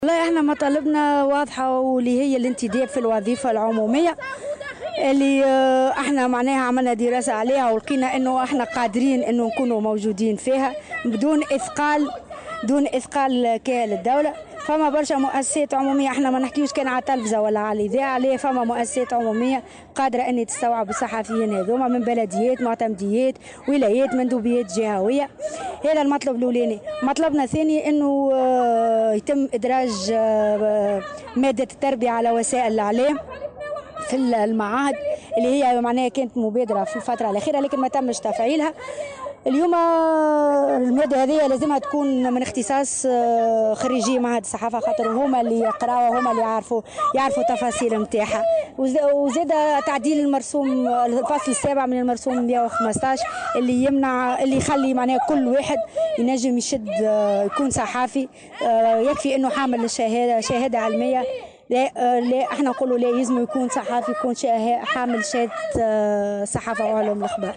والله احنا مطالبنا واضحة، واللي هي الانتداب في الوظيفة العمومية اللي احنا معناها عملنا دراسة عليها ولقينا انه احنا قادرين انه نكونوا موجودين فيها بدون اثقال، دون اثقال كاهل الدولة. فما برشا مؤسسات عمومية، احنا ما نحكيوش كان على التلفزة ولا على الإذاعة، ليه فما مؤسسات عمومية قادرة ان تستوعب الصحفيين هذوما من بلديات، معتمديات، ولايات، مندوبيات جهوية. هذا المطلب الأولاني. مطلبنا الثاني انه يتم إدراج مادة التربية على وسائل الإعلام في المعاهد اللي هي معناها كانت مبادرة في الفترة الأخيرة لكن ما تمش تفعيلها. اليوم المادة هذه لازمها تكون من اختصاص خريجي معهد الصحافة، خاطر هما اللي يقراوها، هما اللي يعرفوا التفاصيل نتاعها. وزاد تعديل المرسوم، الفصل السابع من المرسوم 115 اللي يمنع، اللي يخلي معناها كل واحد ينجم يشد يكون صحافي، يكفي انه حامل الشهادة، شهادة علمية. لا، لا، احنا نقولوا لا، يلزم يكون صحافي، يكون حامل شهادة صحافة وعلوم الأخبار.